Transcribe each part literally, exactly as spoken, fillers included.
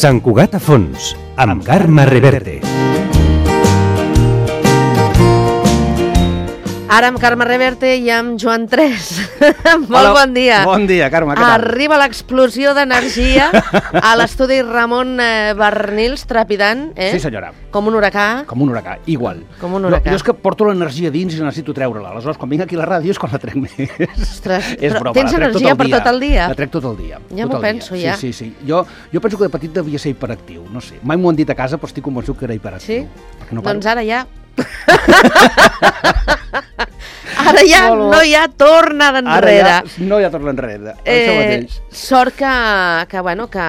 Sant Cugat a fons, amb Carme Reverte. Ara amb Carme Reverte i amb Joan Tres. Molt Hola, bon dia. Bon dia, Carme, què tal? Arriba l'explosió d'energia a l'estudi Ramon eh, Barnils, trepidant, eh? Sí, senyora. Com un huracà. Com un huracà, igual. Com un huracà. Jo, jo és que porto l'energia dins i necessito treure-la. Aleshores, quan vinc aquí a la ràdio és quan la trec més. Ostres, és broma, tens energia per tot el dia? La trec tot el dia. Ja m'ho penso, dia. ja. Sí, sí, sí. Jo, jo penso que de petit devia ser hiperactiu, no sé. Mai m'ho han dit a casa, però estic convençut que era hiperactiu. Sí? No doncs ara ja... Ara ja no, no. no hi ha tornada enrere. Ara ja no hi ha tornada enrere. Eh, Això mateix. Sort que, que, bueno, que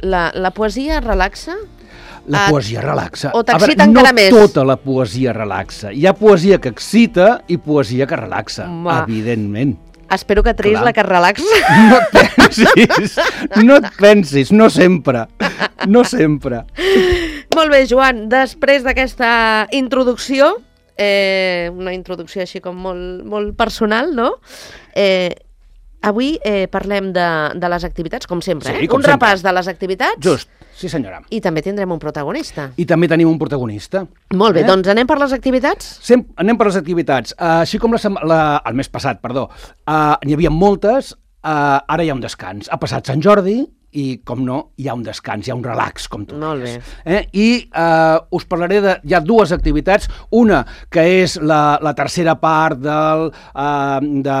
la, la poesia relaxa. La et, poesia relaxa. O t'excita encara no més. No tota la poesia relaxa. Hi ha poesia que excita i poesia que relaxa, Ma. evidentment. Espero que triïs la que et relaxa. No et pensis, no et pensis, no sempre, no sempre. Molt bé, Joan, després d'aquesta introducció, eh, una introducció així com molt, molt personal, no? Eh, avui eh, parlem de, de les activitats, com sempre, Sí, eh? com un sempre. repàs de les activitats. Just, sí senyora. I també tindrem un protagonista. I també tenim un protagonista. Molt bé, eh? doncs anem per les activitats? Sem anem per les activitats. Uh, així com la, la, el mes passat, perdó, uh, n'hi havia moltes, uh, ara hi ha un descans. Ha passat Sant Jordi i, com no, hi ha un descans, hi ha un relax, com tu Molt deies. bé. Eh? I uh, us parlaré de... Hi ha dues activitats. Una, que és la, la tercera part del, uh, de,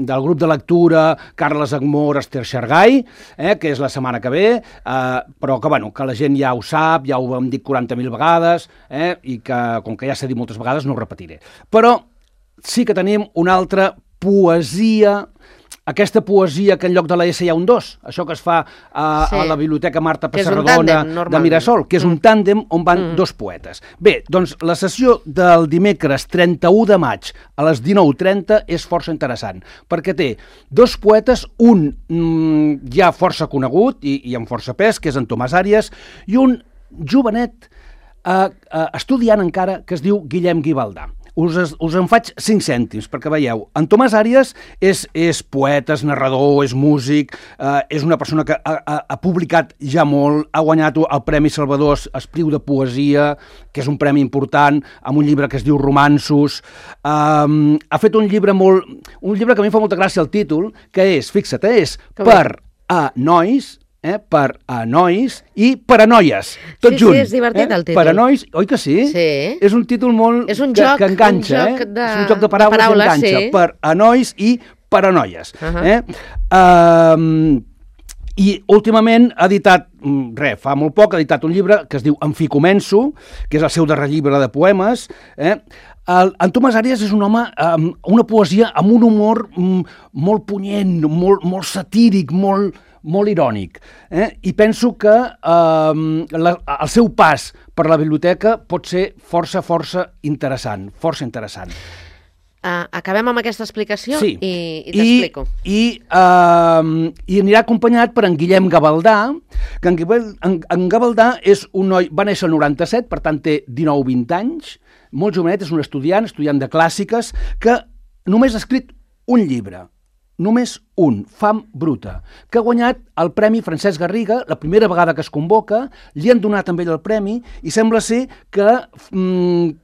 del grup de lectura Carles Agmor, Esther Xargai, eh? que és la setmana que ve, uh, però que, bueno, que la gent ja ho sap, ja ho hem dit quaranta mil vegades, eh? i que, com que ja s'ha dit moltes vegades, no ho repetiré. Però sí que tenim una altra poesia, aquesta poesia que en lloc de la S hi ha un dos, això que es fa a, Sí. a la Biblioteca Marta Que és un Pessarrodona tàndem, de Mirasol, que és un tàndem on van Mm. dos poetes. Bé, doncs la sessió del dimecres trenta-u de maig a les dinou trenta és força interessant, perquè té dos poetes, un mm, ja força conegut i, i amb força pes, que és en Tomàs Àries, i un jovenet eh, eh, estudiant encara, que es diu Guillem Guibaldà. Us, us en faig cinc cèntims, perquè veieu, en Tomàs Àries és, és poeta, és narrador, és músic, eh, és una persona que ha, ha, ha publicat ja molt, ha guanyat el Premi Salvador Espriu de Poesia, que és un premi important, amb un llibre que es diu Romanços. Eh, ha fet un llibre molt... un llibre que a mi em fa molta gràcia el títol, que és, fixa't, eh, és Com Per a nois, eh, per a nois i per a noies, tot Sí, junt. sí, és divertit eh? el títol. Per a nois, oi que sí? Sí. És un títol molt... És un que, joc, que enganxa, un joc eh? de- És un joc de paraules, de paraules, que enganxa. sí. Per a nois i per a noies. Uh -huh. eh? um, I últimament ha editat, res, fa molt poc, ha editat un llibre que es diu En fi començo, que és el seu darrer llibre de poemes. Eh? El, en Tomàs Àries és un home amb una poesia amb un humor mm, molt punyent, molt, molt satíric, molt, molt irònic. Eh? I penso que eh, la, el seu pas per la biblioteca pot ser força, força interessant, força interessant. Uh, acabem amb aquesta explicació Sí. i, i t'explico. I, uh, I anirà acompanyat per en Guillem Gavaldà, que en, Guillem, en, en Gavaldà és un noi, va néixer el noranta-set, per tant té dinou vint anys, molt jovenet, és un estudiant, estudiant de clàssiques, que només ha escrit un llibre, només un, Fam bruta, que ha guanyat el Premi Francesc Garriga, la primera vegada que es convoca, li han donat també el premi, i sembla ser que... Mm,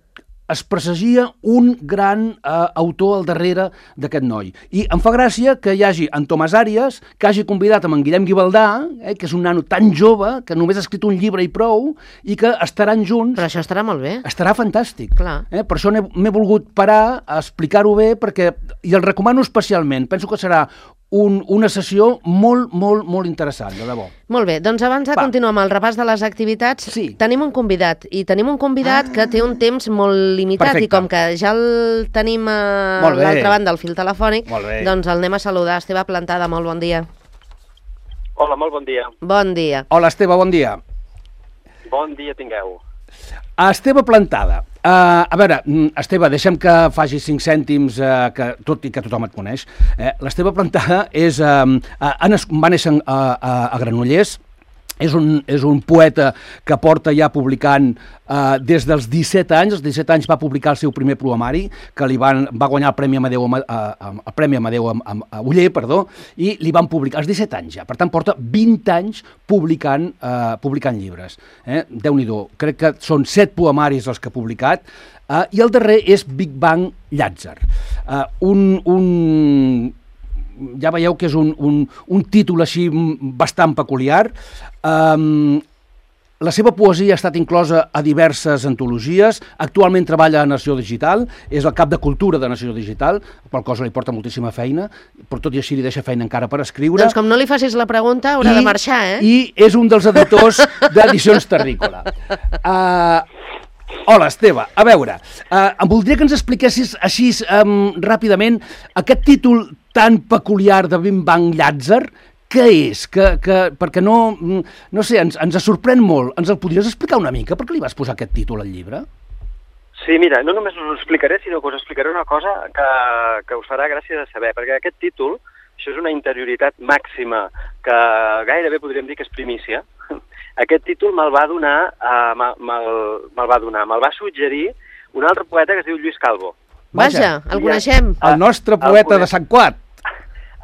es presagia un gran eh, autor al darrere d'aquest noi. I em fa gràcia que hi hagi en Tomàs Àries, que hagi convidat amb en Guillem Guibaldà, eh, que és un nano tan jove, que només ha escrit un llibre i prou, i que estaran junts. Però això estarà molt bé. Estarà fantàstic. Clar. Eh? Per això m'he volgut parar a explicar-ho bé, perquè, i el recomano especialment. Penso que serà un, una sessió molt, molt, molt interessant, de debò. Molt bé, doncs abans de Va. continuar amb el repàs de les activitats, Sí. tenim un convidat, i tenim un convidat Ah. que té un temps molt limitat, Perfecte. i com que ja el tenim a Molt bé. l'altra banda del fil telefònic, Molt bé. doncs el anem a saludar. Esteve Plantada, molt bon dia. Hola, molt bon dia. Bon dia. Hola, Esteve, bon dia. Bon dia tingueu. Esteve Plantada. Uh, a veure, Esteve, deixem que faci cinc cèntims, uh, que, tot i que tothom et coneix. Eh? L'Esteve Plantada és, uh, uh, va néixer a, a, a Granollers, És un, és un poeta que porta ja publicant eh, des dels disset anys. Als disset anys va publicar el seu primer poemari, que li van, va guanyar el Premi Amadeu, eh, el Premi Amadeu a, a, a Uller, perdó, i li van publicar als disset anys ja. Per tant, porta vint anys publicant, eh, publicant llibres. Eh? Déu-n'hi-do, crec que són set poemaris els que ha publicat, eh, i el darrer és Big Bang Llàtzer. Eh, un... un ja veieu que és un, un, un títol així bastant peculiar. Um, la seva poesia ha estat inclosa a diverses antologies. Actualment treballa a Nació Digital, és el cap de cultura de Nació Digital, qual cosa li porta moltíssima feina, però tot i així li deixa feina encara per escriure. Doncs com no li facis la pregunta, haurà I, de marxar, eh? I és un dels editors d'Edicions Terrícola. Uh, Hola, Esteve. A veure, eh, em voldria que ens expliquessis així um, ràpidament aquest títol tan peculiar de Big Bang Llàtzer. Què és? Que, que, perquè no, no sé, ens, ens sorprèn molt. Ens el podries explicar una mica? Per què li vas posar aquest títol al llibre? Sí, mira, no només us ho explicaré, sinó que us explicaré una cosa que, que us farà gràcia de saber, perquè aquest títol, això és una interioritat màxima que gairebé podríem dir que és primícia. Aquest títol me'l va donar, uh, me'l me va donar, me'l va suggerir un altre poeta que es diu Lluís Calvo. Vaja, el coneixem. El nostre poeta el de Sant Quat.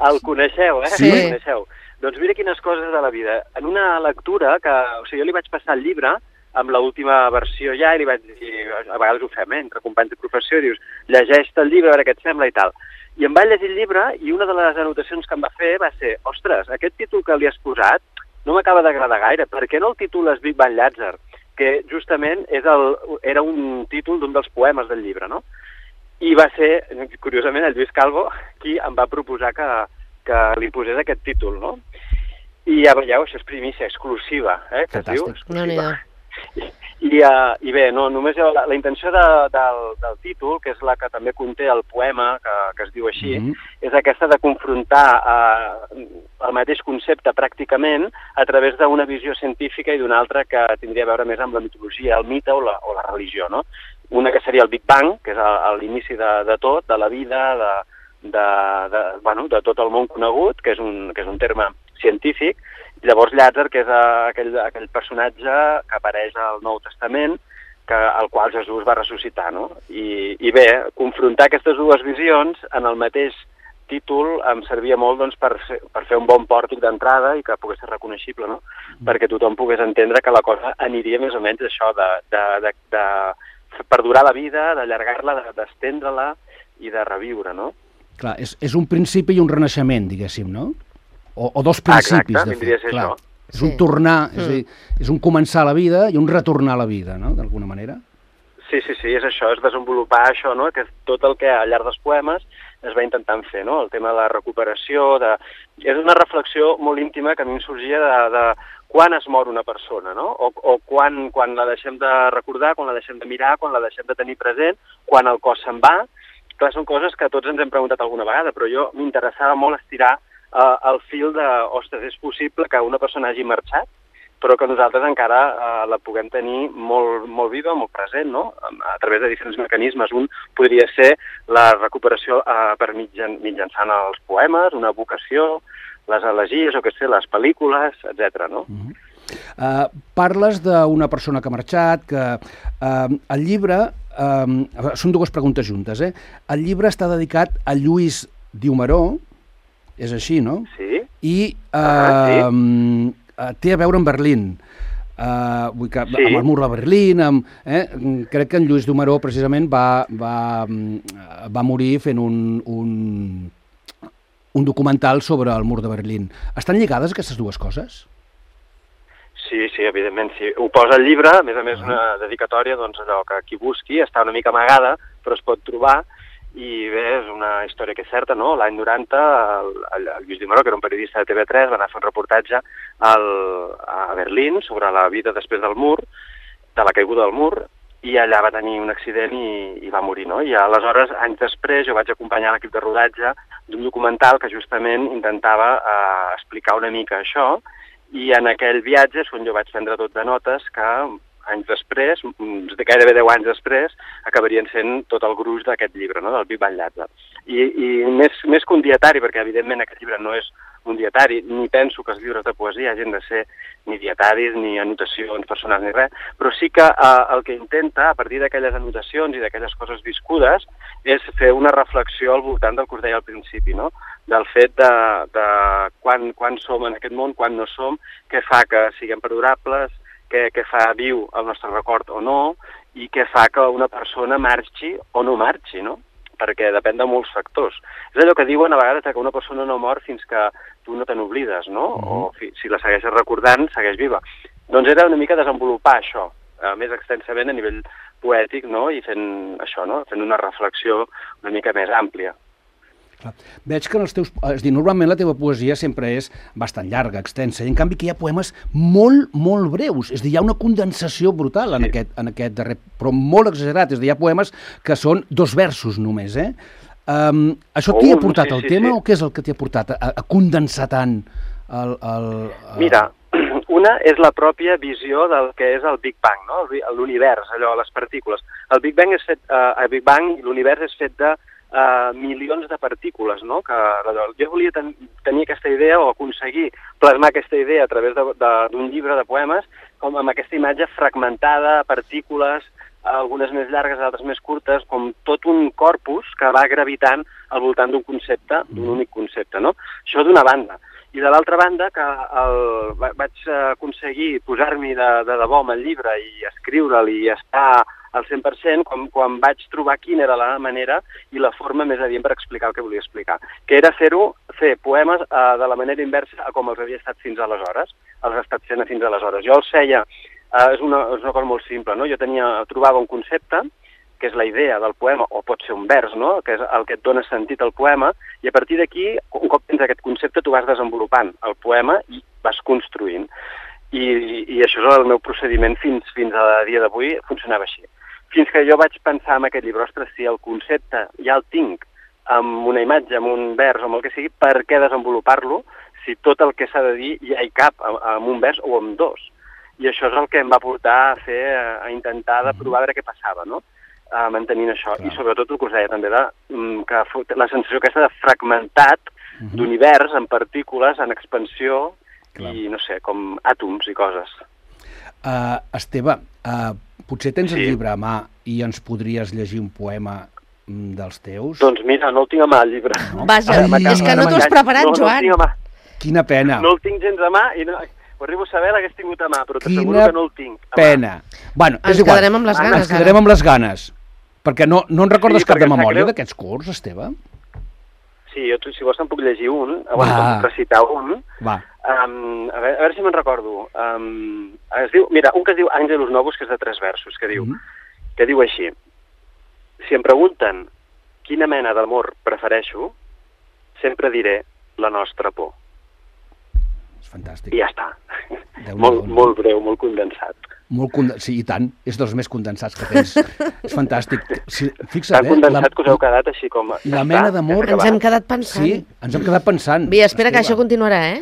El coneixeu, eh? Sí. El coneixeu. Doncs mira quines coses de la vida. En una lectura que, o sigui, jo li vaig passar el llibre amb l'última versió ja i li vaig dir, a vegades ho fem, eh? Entre companys de professió, dius, llegeix-te el llibre, a veure què et sembla i tal. I em va llegir el llibre i una de les anotacions que em va fer va ser, ostres, aquest títol que li has posat no m'acaba d'agradar gaire. Per què no el titules Big Bang Llàtzer? Que justament és el, era un títol d'un dels poemes del llibre, no? I va ser, curiosament, el Lluís Calvo qui em va proposar que, que li posés aquest títol, no? I ja veieu, això és primícia exclusiva, eh? Que es diu exclusiva. I, i, uh, I bé, no, només la, la intenció de, del, del títol, que és la que també conté el poema, que, que es diu així, mm-hmm. és aquesta de confrontar uh, el mateix concepte pràcticament a través d'una visió científica i d'una altra que tindria a veure més amb la mitologia, el mite o la, o la religió, no? Una que seria el Big Bang, que és l'inici de, de tot, de la vida, de, de, de, bueno, de tot el món conegut, que és un, que és un terme científic. Llavors Llàtzer, que és aquell, aquell personatge que apareix al Nou Testament, que, al qual Jesús va ressuscitar, no? I, i bé, confrontar aquestes dues visions en el mateix títol em servia molt doncs, per, per fer un bon pòrtic d'entrada i que pogués ser reconeixible, no? Mm. Perquè tothom pogués entendre que la cosa aniria més o menys això de, de, de, de perdurar la vida, d'allargar-la, d'estendre-la i de reviure, no? Clar, és, és un principi i un renaixement, diguéssim, no? O, o dos principis, Exacte, de fet. Clar, això. és un sí. tornar, Mm. és, a dir, és un començar la vida i un retornar a la vida, no?, d'alguna manera. Sí, sí, sí, és això, és desenvolupar això, no?, que és tot el que al llarg dels poemes es va intentant fer, no?, el tema de la recuperació, de... és una reflexió molt íntima que a mi em sorgia de, de quan es mor una persona, no?, o, o quan, quan la deixem de recordar, quan la deixem de mirar, quan la deixem de tenir present, quan el cos se'n va. Clar, són coses que tots ens hem preguntat alguna vegada, però jo m'interessava molt estirar Uh, el fil de, ostres, és possible que una persona hagi marxat, però que nosaltres encara uh, la puguem tenir molt, molt viva, molt present, no? A través de diferents mecanismes. Un podria ser la recuperació uh, per mitjan, mitjançant els poemes, una vocació, les elegies, o què sé, les pel·lícules, etcètera, no? Uh-huh. Uh, parles d'una persona que ha marxat, que uh, el llibre... Uh, són dues preguntes juntes, eh? El llibre està dedicat a Lluís Diumaró, és així, no? Sí. I uh, ah, sí. té a veure amb Berlín. Uh, vull que, sí. Amb el mur de Berlín. Amb, eh? Crec que en Lluís Diumaró precisament va, va, va morir fent un, un, un documental sobre el mur de Berlín. Estan lligades aquestes dues coses? Sí, sí, evidentment, sí. Ho posa al llibre, a més a més ah. una dedicatòria, doncs allò que qui busqui està una mica amagada, però es pot trobar. I bé, és una història que és certa, no? L'any noranta, el, el, el Lluís Diumaró, que era un periodista de T V tres, va anar a fer un reportatge al, a Berlín sobre la vida després del mur, de la caiguda del mur, i allà va tenir un accident i, i va morir, no? I aleshores, anys després, jo vaig acompanyar l'equip de rodatge d'un documental que justament intentava eh, explicar una mica això, i en aquell viatge és on jo vaig prendre tot de notes que anys després, gairebé deu anys després, acabarien sent tot el gruix d'aquest llibre, no?, del Big Bang Llàtzer. I, i més, més que un dietari, perquè evidentment aquest llibre no és un dietari, ni penso que els llibres de poesia hagin de ser ni dietaris, ni anotacions personals, ni res, però sí que eh, el que intenta, a partir d'aquelles anotacions i d'aquelles coses viscudes, és fer una reflexió al voltant del que us deia al principi, no? Del fet de, de quan, quan som en aquest món, quan no som, què fa que siguem perdurables, què, què fa viu el nostre record o no, i què fa que una persona marxi o no marxi, no? Perquè depèn de molts factors. És allò que diuen a vegades que una persona no mor fins que tu no te n'oblides, no? Mm-hmm. O fi, si la segueixes recordant, segueix viva. Doncs era una mica desenvolupar això, eh, més extensament a nivell poètic, no? I fent això, no? Fent una reflexió una mica més àmplia. Clar. Veig que en els teus... És dir, normalment la teva poesia sempre és bastant llarga, extensa, i en canvi que hi ha poemes molt, molt breus. És dir, hi ha una condensació brutal en, sí. aquest, en aquest darrer... Però molt exagerat. És dir, hi ha poemes que són dos versos només, eh? Um, això t'hi ha portat sí, el sí, tema sí. o què és el que t'hi ha portat a, a condensar tant el... el, el... Mira, una és la pròpia visió del que és el Big Bang, no? L'univers, allò, les partícules. El Big Bang és fet... Uh, el Big Bang, l'univers és fet de Uh, milions de partícules, no? Que, jo volia ten tenir aquesta idea o aconseguir plasmar aquesta idea a través d'un llibre de poemes com amb aquesta imatge fragmentada, partícules, algunes més llargues, altres més curtes, com tot un corpus que va gravitant al voltant d'un concepte, d'un únic concepte, no? Això d'una banda. I de l'altra banda, que el, vaig aconseguir posar-m'hi de, de debò amb el llibre i escriure'l i estar al cent per cent quan, quan vaig trobar quina era la manera i la forma més adient per explicar el que volia explicar, que era fer-ho, fer poemes eh, de la manera inversa a com els havia estat fins aleshores, els he estat fent fins aleshores. Jo els feia, eh, és, una, és una cosa molt simple, no? Jo tenia, trobava un concepte, que és la idea del poema, o pot ser un vers, no? Que és el que et dona sentit al poema, i a partir d'aquí, un cop tens aquest concepte, tu vas desenvolupant el poema i vas construint. I, i això és el meu procediment fins, fins a dia d'avui, funcionava així. Fins que jo vaig pensar en aquest llibre, ostres, si el concepte ja el tinc amb una imatge, amb un vers o amb el que sigui, per què desenvolupar-lo si tot el que s'ha de dir ja hi cap amb un vers o amb dos? I això és el que em va portar a fer, a intentar de provar a veure què passava, no? Uh, mantenint això. Clar. I sobretot el que us deia també, de, que la sensació aquesta de fragmentat uh-huh. d'univers en partícules, en expansió, clar. I no sé, com àtoms i coses. Uh, Esteve, uh, potser tens sí. el llibre a mà i ens podries llegir un poema dels teus? Doncs mira, no el tinc a mà, el llibre. No? Vaja, Ai, és que no t'ho has preparat, no, Joan. No el tinc a mà. Quina pena. No el tinc gens a mà i no, ho arribo a saber, l'hagués tingut a mà, però t'asseguro que no el tinc a mà. Pena. Bueno, ens és igual. quedarem amb les ganes. Ens quedarem amb les ganes. Perquè no, no en recordes sí, cap de memòria d'aquests curs, Esteve? Sí, jo, si vols te'n puc llegir un, o te'n puc recitar un. Va. Um, a, veure, a veure si me'n recordo. Um, es diu, mira, un que es diu Àngelus Novus, que és de tres versos, que diu, mm. que diu així. Si em pregunten quina mena d'amor prefereixo, sempre diré la nostra por. És fantàstic. I ja està. molt, molt breu, molt condensat. Molt conden... Sí, i tant. És dels més condensats que tens. És fantàstic. Sí, fixa't, Tan condensat la... que us heu quedat així com... La mena d'amor... Ens hem quedat pensant. Sí, ens hem quedat pensant. Bé, espera Esteve. Que això continuarà, eh?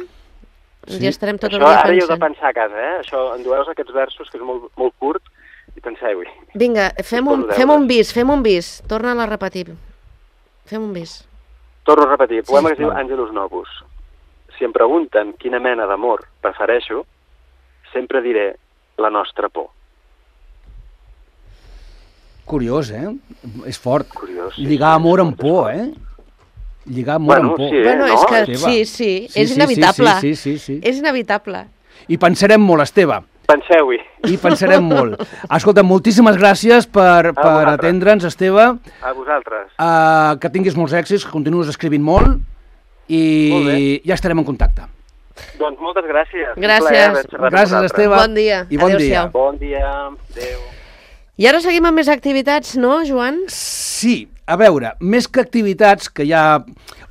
Sí. Ja estarem tot el això, dia pensant. Ara hi heu de pensar a casa, eh? Això, endueu aquests versos, que és molt, molt curt, i penseu-hi. Vinga, fem un, fem un bis, fem un bis. Torna-la a repetir. Fem un bis. Torno a repetir. El poema sí, que es diu Àngelus Novus. Si em pregunten quina mena d'amor prefereixo, sempre diré la nostra por. Curiós, eh? És fort. Curiós, sí, Lligar amor amb por, eh? Lligar amor bueno, amb por. Sí, bueno, no? és que sí, sí, sí és sí, inevitable. Sí, sí, sí, sí, sí. És inevitable. I pensarem molt, Esteve. Penseu-hi. I pensarem molt. Escolta, moltíssimes gràcies per, per atendre'ns, Esteve. A vosaltres. Uh, que tinguis molts èxits, que continuïs escrivint molt i molt ja estarem en contacte. Doncs moltes gràcies. Gràcies. Gràcies, Esteve. Bon dia. I bon dia. Bon dia. Adéu. I ara seguim amb més activitats, no, Joan? Sí. A veure, més que activitats que ja...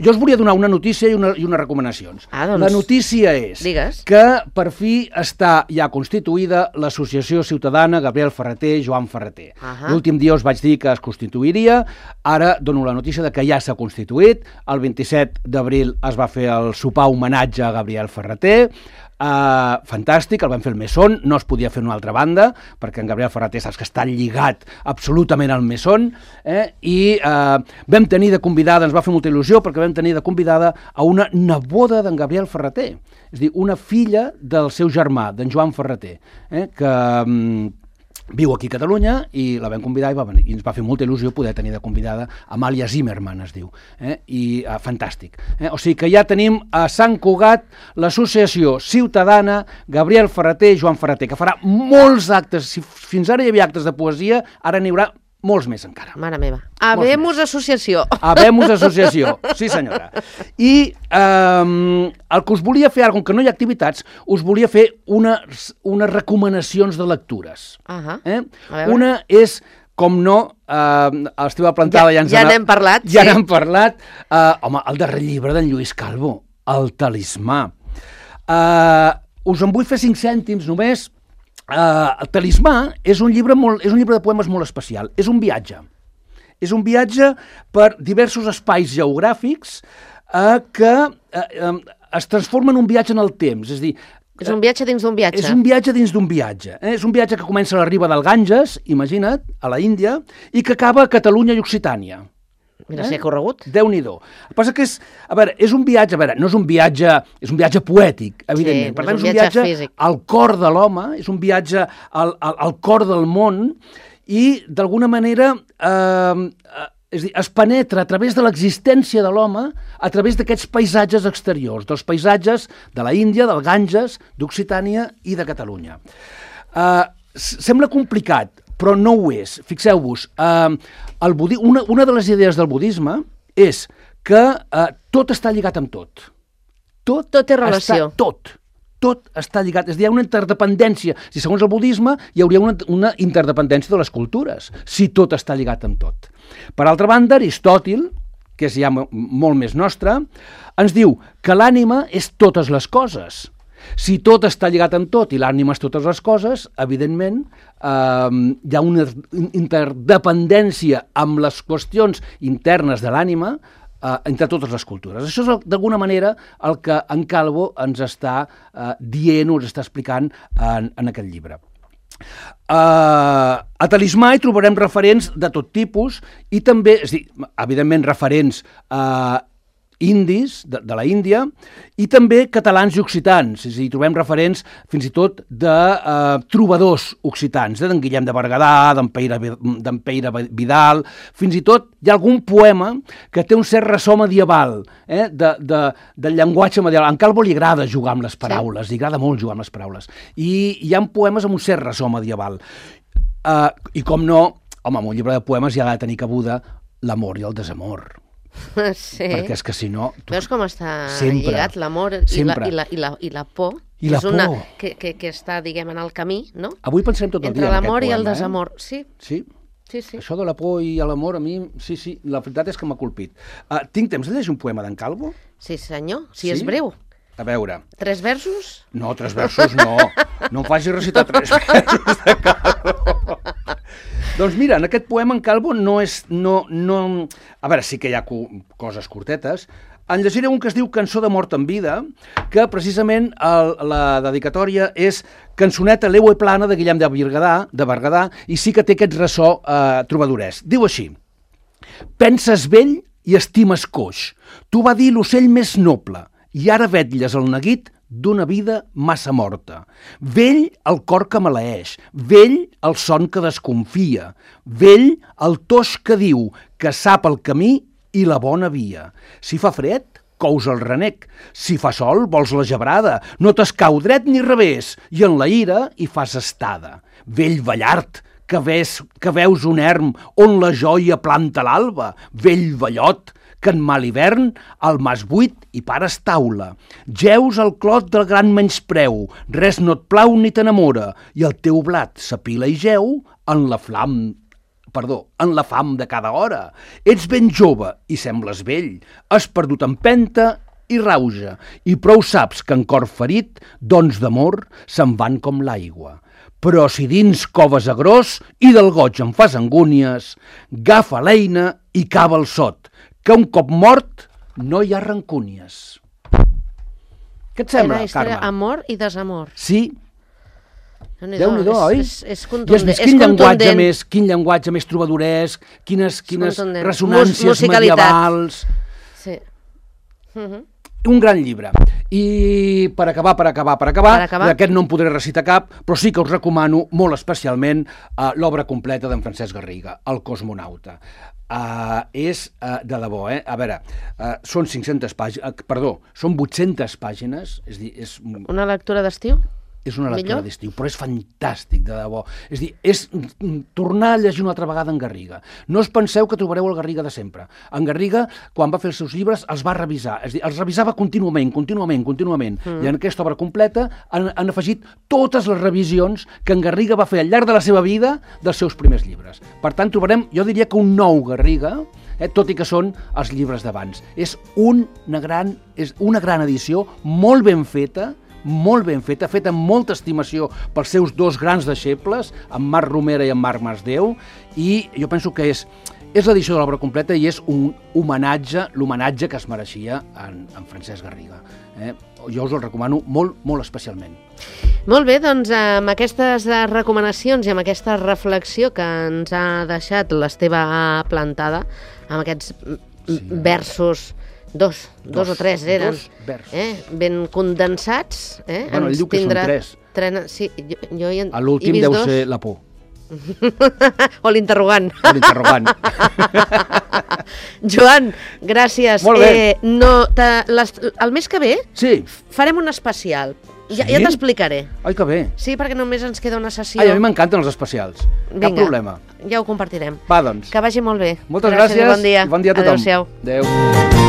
Jo us volia donar una notícia i, una, i unes recomanacions. Ah, doncs... La notícia és Digues. que per fi està ja constituïda l'Associació Ciutadana Gabriel Ferrater Joan Ferrater. Uh -huh. L'últim dia us vaig dir que es constituiria, ara dono la notícia de que ja s'ha constituït. El vint-i-set d'abril es va fer el sopar homenatge a Gabriel Ferrater. Uh, fantàstic, el vam fer el Mesón, no es podia fer una altra banda, perquè en Gabriel Ferrater saps que està lligat absolutament al Mesón, eh? i uh, vam tenir de convidada, ens va fer molta il·lusió, perquè vam tenir de convidada a una neboda d'en Gabriel Ferrater, és a dir, una filla del seu germà, d'en Joan Ferrater, eh? que... Um, viu aquí a Catalunya i la vam convidar i, va venir, i ens va fer molta il·lusió poder tenir de convidada Amàlia Zimmermann, es diu, eh? i uh, fantàstic. Eh? O sigui que ja tenim a Sant Cugat l'associació ciutadana Gabriel Ferrater i Joan Ferrater, que farà molts actes, si fins ara hi havia actes de poesia, ara n'hi haurà molts més encara. Mare meva. Habemus associació. Habemus associació, sí senyora. I um, el que us volia fer, com que no hi ha activitats, us volia fer unes, unes recomanacions de lectures. Uh -huh. eh? Una és, com no, uh, l'Esteve Plantada ja, ja ens ja n'hem parlat. Ja sí. n'hem parlat. Uh, home, el darrer llibre d'en Lluís Calvo, El talismà. Uh, us en vull fer cinc cèntims només. Uh, el Talismà és un llibre molt, és un llibre de poemes molt especial. És un viatge. És un viatge per diversos espais geogràfics uh, que uh, um, es transforma en un viatge en el temps. És a dir, és un viatge dins d'un viatge. És un viatge dins d'un viatge. Eh? És un viatge que comença a la riba del Ganges, imagina't, a la Índia, i que acaba a Catalunya i Occitània. Mira, si he corregut. Déu-n'hi-do. El que passa que és, a veure, és un viatge, a veure, no és un viatge, és un viatge poètic, evidentment. Sí, per és tant, un és un viatge viatge físic. al cor de l'home, és un viatge al, al, al cor del món i, d'alguna manera, eh, és a dir, es penetra a través de l'existència de l'home a través d'aquests paisatges exteriors, dels paisatges de la Índia, del Ganges, d'Occitània i de Catalunya. Eh, sembla complicat, però no ho és. Fixeu-vos, eh, el budi... una, una de les idees del budisme és que eh, tot està lligat amb tot. Tot, tot té relació. Està, tot. Tot està lligat. És a dir, hi ha una interdependència. Si segons el budisme hi hauria una, una interdependència de les cultures, si tot està lligat amb tot. Per altra banda, Aristòtil, que és ja molt més nostre, ens diu que l'ànima és totes les coses. Si tot està lligat amb tot i l'ànima és totes les coses, evidentment eh, hi ha una interdependència amb les qüestions internes de l'ànima eh, entre totes les cultures. Això és d'alguna manera el que en Calvo ens està eh, dient, ens està explicant en, en aquest llibre. Uh, a Talismà hi trobarem referents de tot tipus i també, és a dir, evidentment referents uh, indis, de, de la Índia, i també catalans i occitans. És a dir, trobem referents fins i tot de uh, trobadors occitans, eh, d'en Guillem de Berguedà, d'en Peire, d'en Peire Vidal, fins i tot hi ha algun poema que té un cert ressò medieval, eh, de, de, del llenguatge medieval. A en Calvo li agrada jugar amb les paraules, sí. li agrada molt jugar amb les paraules. I hi ha poemes amb un cert ressò medieval. Uh, I com no, home, en un llibre de poemes hi ha de tenir cabuda l'amor i el desamor. Sí. Perquè és que si no... Tu... Veus com està sempre, lligat l'amor i, la, i, la, i, la, i la por? I la és una, por. Que, que, que està, diguem, en el camí, no? Avui pensem tot el Entre dia en aquest l'amor poema. i el desamor, eh? sí. Sí? Sí, sí. Això de la por i l'amor, a mi, sí, sí, la veritat és que m'ha colpit. Uh, tinc temps de llegir un poema d'en Calvo? Sí, senyor, si Sí? és breu. A veure... Tres versos? No, tres versos no. No em facis recitar tres versos de Calvo. Doncs mira, en aquest poema en Calvo no és... No, no... A veure, sí que hi ha co coses curtetes. En llegiré un que es diu Cançó de mort en vida, que precisament el, la dedicatòria és Cançoneta l'Eue plana de Guillem de Berguedà, de Berguedà, i sí que té aquest ressò eh, trobadorès. Diu així: penses vell i estimes coix. Tu va dir l'ocell més noble, i ara vetlles el neguit d'una vida massa morta. Vell el cor que maleeix, vell el son que desconfia, vell el toix que diu que sap el camí i la bona via. Si fa fred, cous el renec. Si fa sol, vols la gebrada. No t'escau dret ni revés, i en la ira hi fas estada. Vell ballart, que, ves, que veus un erm on la joia planta l'alba. Vell ballot, que en mal hivern al mas buit hi pares taula. Geus al clot del gran menyspreu, res no et plau ni t'enamora, i el teu blat s'apila i geu en la flam perdó, en la fam de cada hora. Ets ben jove i sembles vell, has perdut empenta i rauja, i prou saps que en cor ferit, dons d'amor se'n van com l'aigua. Però si dins coves a gros i del goig en fas angúnies, agafa l'eina i cava el sot, que un cop mort no hi ha rancúnies. Què et sembla, Era història, Carme? amor i desamor. Sí, Déu-n'hi-do, Déu-n'hi-do, oi? És, és, és I has contundent. vist és quin llenguatge contundent. més, quin llenguatge més trobadoresc, quines, quines contundent. ressonàncies Mus- musicalitat. medievals... Sí. Uh-huh. Un gran llibre. I per acabar, per acabar, per acabar, Per acabar. d'aquest no en podré recitar cap, però sí que us recomano molt especialment uh, l'obra completa d'en Francesc Garriga, El cosmonauta. Uh, és uh, de debò, eh? A veure, uh, són cinc-centes pàgines, uh, perdó, són vuit-centes pàgines, és dir, és... Una lectura d'estiu? És una lectura Millor? d'estiu, però és fantàstic, de debò. És dir, és tornar a llegir una altra vegada en Garriga. No us penseu que trobareu el Garriga de sempre. En Garriga, quan va fer els seus llibres, els va revisar. És dir, els revisava contínuament, contínuament, contínuament. Mm. I en aquesta obra completa han, han afegit totes les revisions que en Garriga va fer al llarg de la seva vida dels seus primers llibres. Per tant, trobarem, jo diria que un nou Garriga, eh, tot i que són els llibres d'abans. És una gran, és una gran edició, molt ben feta, molt ben feta, feta amb molta estimació pels seus dos grans deixebles, en Marc Romera i en Marc Masdeu, i jo penso que és, és l'edició de l'obra completa i és un homenatge, l'homenatge que es mereixia en, en Francesc Garriga. Eh? Jo us el recomano molt, molt especialment. Molt bé, doncs amb aquestes recomanacions i amb aquesta reflexió que ens ha deixat l'Esteve Plantada, amb aquests sí. versos, dos, dos, dos o tres eren, dos versos. Eh? Ben condensats. Eh? Bueno, ell diu que són tres. Trena... Sí, jo, jo hi he, a l'últim he vist deu dos. ser la por. O l'interrogant. O l'interrogant. Joan, gràcies. Molt bé. Eh, no, les, el mes que ve sí. farem un especial. Ja, sí? ja t'explicaré. Ai, que bé. Sí, perquè només ens queda una sessió. Ai, a mi m'encanten els especials. Vinga, Cap problema. Ja ho compartirem. Va, doncs. Que vagi molt bé. Moltes gràcies, gràcies i bon dia. I bon dia a tothom. Adéu-siau. Adéu.